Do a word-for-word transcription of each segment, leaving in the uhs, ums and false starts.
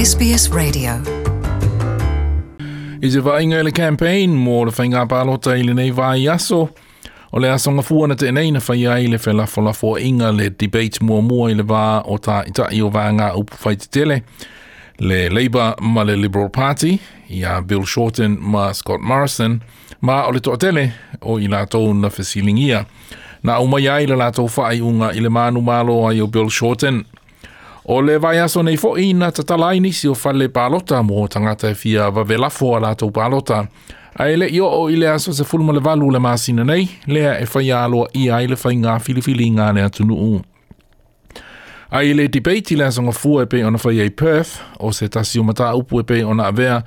S B S Radio. I se vaaiga i le campaign mo le faiga palota i lenei vaiaso, o le aso Gafua na tea nei na faia ai le felafolafoaiga, le debate muamua i le va o taitai o vaega upufai tetele, le Labour ma le Liberal Party, ia Bill Shorten ma Scott Morrison, ma o le toatele o i latou na fesiligia na aumai ai le latou faaiuga i le manumalo ai o Bill Shorten. O le vaiaso nei fo'i na tatala ai nisi o fale palota mo tagata e fia vave lafo a latou palota. Ae le i oo i le aso sefulu ma le valu o le masina nei, lea e faia aloaia ai le faiga filifiliga a le atunuu. Ae i le debate i le aso Gafua e pei ona faia i Perth, o se tasi o mataupu e pei ona avea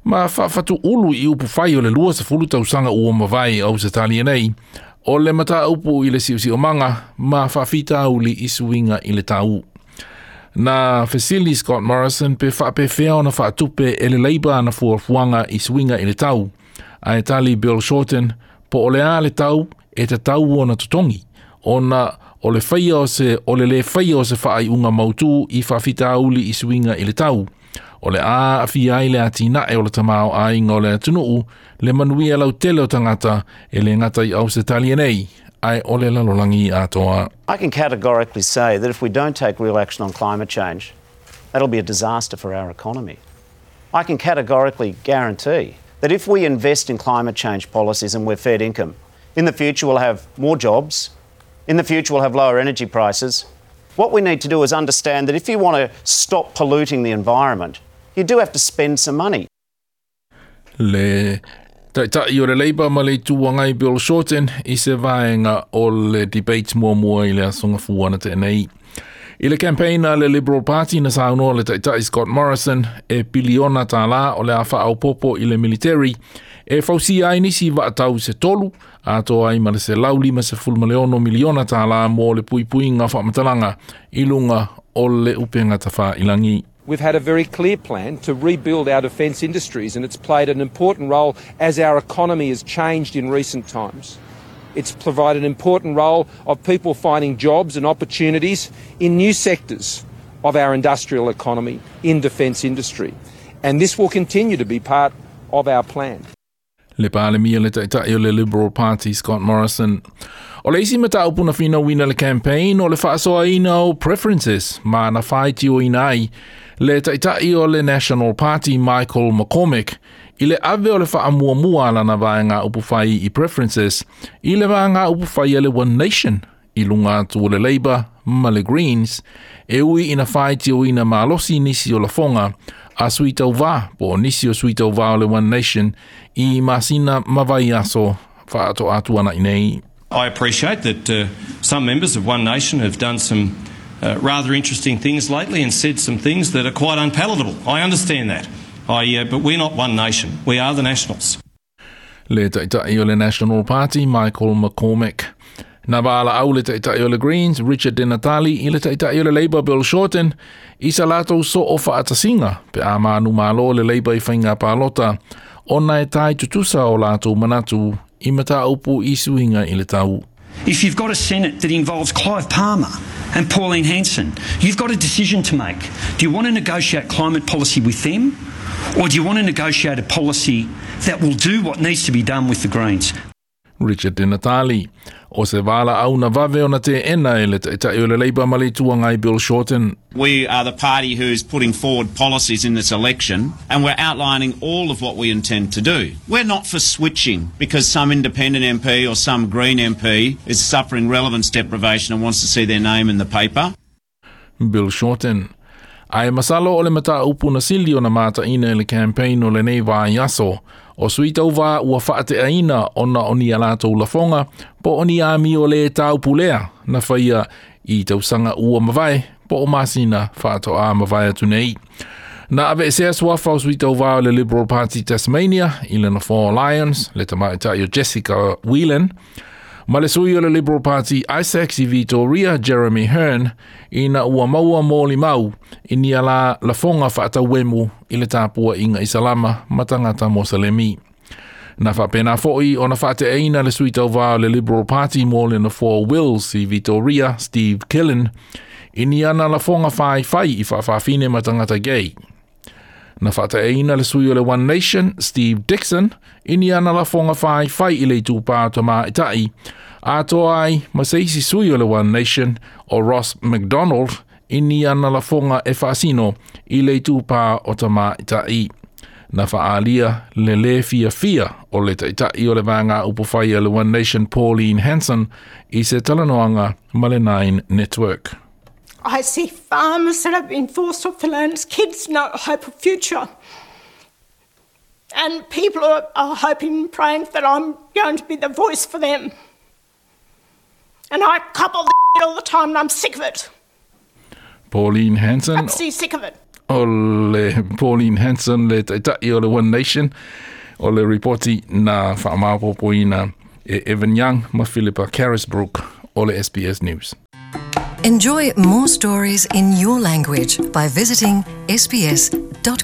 ma faafatuulu i upufai o le lua sefulu tausaga ua mavae Ausetalia nei, o le mataupu i le siosiomaga ma faafitauli i suiga i le tau. Na fesili Scott Morrison pe faapefea ona faatupe e le Labour ana fuafuaga i suiga i le tau. Ae tali Bill Shorten po o le a le tau e tatau ona totogi, ona o le faia o se o le lē faia o se faaiuga mautū i faafitauli i suiga i le tau, o le a aafia ai le atinae o le tamaoaiga o le atunuu, le manuia lautele o tagata e le gata i Ausetalia nei, ae o le lalolagi atoa. I can categorically say that if we don't take real action on climate change, that'll be a disaster for our economy. I can categorically guarantee that if we invest in climate change policies and we're fair income, in the future we'll have more jobs, in the future we'll have lower energy prices. What we need to do is understand that if you want to stop polluting the environment, you do have to spend some money. Le Taitai o le Labour ma le Itu Agai Bill Shorten i se vaega o le debate muamua i le aso Gafua na tea nei. I le campaign a le Liberal Party, na saunoa le Taitai Scott Morrison e piliona tālā o le a faaopoopo i le military e fausia ai nisi vaatau se tolu, atoa ai ma le selau lima sefulu ma le ono miliona tālā mo le puipuiga faamatalaga i luga o le upega tafailagi. We've had a very clear plan to rebuild our defence industries, and it's played an important role as our economy has changed in recent times. It's provided an important role of people finding jobs and opportunities in new sectors of our industrial economy, in defence industry. And this will continue to be part of our plan. Le Palemia, le Taitai o le Liberal Party Scott Morrison. O le isi mataupu na finauina i le campaign o le faasoaina o preferences, ma na faitioina ai le Taitai o le National Party Michael McCormack i le ave o le faamuamua a lana vaega upufai i preferences i le vaega upufai a le One Nation i luga atu o le Labour ma le Greens, e ui ina faitioina malosi nisi o lafoga a sui tauvā po o nisi o sui tauvā o le One Nation i masina ma vaiaso faatoa tuanai nei. I appreciate that uh, some members of One Nation have done some uh, rather interesting things lately and said some things that are quite unpalatable. I understand that. I, uh, but we're not One Nation. We are the Nationals. Le Taitai o le National Party Michael McCormack. Na valaau le Taitai o le Greens Richard Di Natale i le Taitai o le Labour Bill Shorten i sa latou soo faatasiga pe a manumalo le Labour i faiga palota, ona e tai tutusa o latou manatu i mataupu i suiga i le tau. If you've got a Senate that involves Clive Palmer and Pauline Hanson, you've got a decision to make. Do you want to negotiate climate policy with them? Or do you want to negotiate a policy that will do what needs to be done with the Greens? Richard Di Natale. O se valaau na vave ona teena e le Taitai o le Labour ma le Itu Agai Bill Shorten. We are the party who's putting forward policies in this election, and we're outlining all of what we intend to do. We're not for switching because some independent M P or some Green M P is suffering relevance deprivation and wants to see their name in the paper. Bill Shorten. Ae masalo o le mataupu na sili ona mataina i le campaign o lenei vaiaso, o sui tauvā ua faateaina ona o ni a latou lafoga po o ni amio lē taupulea na faia i tausaga ua mavae po o masina faatoa mavae atu nei. Na aveesea suafa o sui tauvā o le Liberal Party Tasmania i le nofoa o Lyons, le tamaitai o Jessica Whelan, ma le sui o le Liberal Party Isaacs i Victoria Jeremy Hearn, ina ua maua molimau i ni ala lafoga faatauemu i le tapuaiga Isalama ma tagata Moselemi. Na faapena fo'i ona faateaina le sui tauvā o le Liberal Party mo le nofoa Wills i Victoria Steve Killen i ni ana lafoga faifai i faafafine ma tagata gay. Na faataeina le sui o le One Nation, Steve Dixon, i ni ana lafoga faifai i le itupa o tamaitai, atoa ai ma se isi sui o le One Nation o Ross McDonald i ni ana lafoga e faasino i le itupa o tamaitai. Na faaalia le lē fiafia o le taitai o le vaega upufai a le One Nation Pauline Hanson i se talanoaga ma le Nine Network. I see farmers that have been forced off the lands, kids no hope of future. And people are, are hoping and praying that I'm going to be the voice for them. And I cop all the all the time and I'm sick of it. Pauline Hanson Absolutely sick of it. o le Pauline Hanson le taitai o le One Nation o le ripoti na faamaopoopoina e Evan Young ma Philippa Carisbrook o le SBS News. Enjoy more stories in your language by visiting sbs.com.au.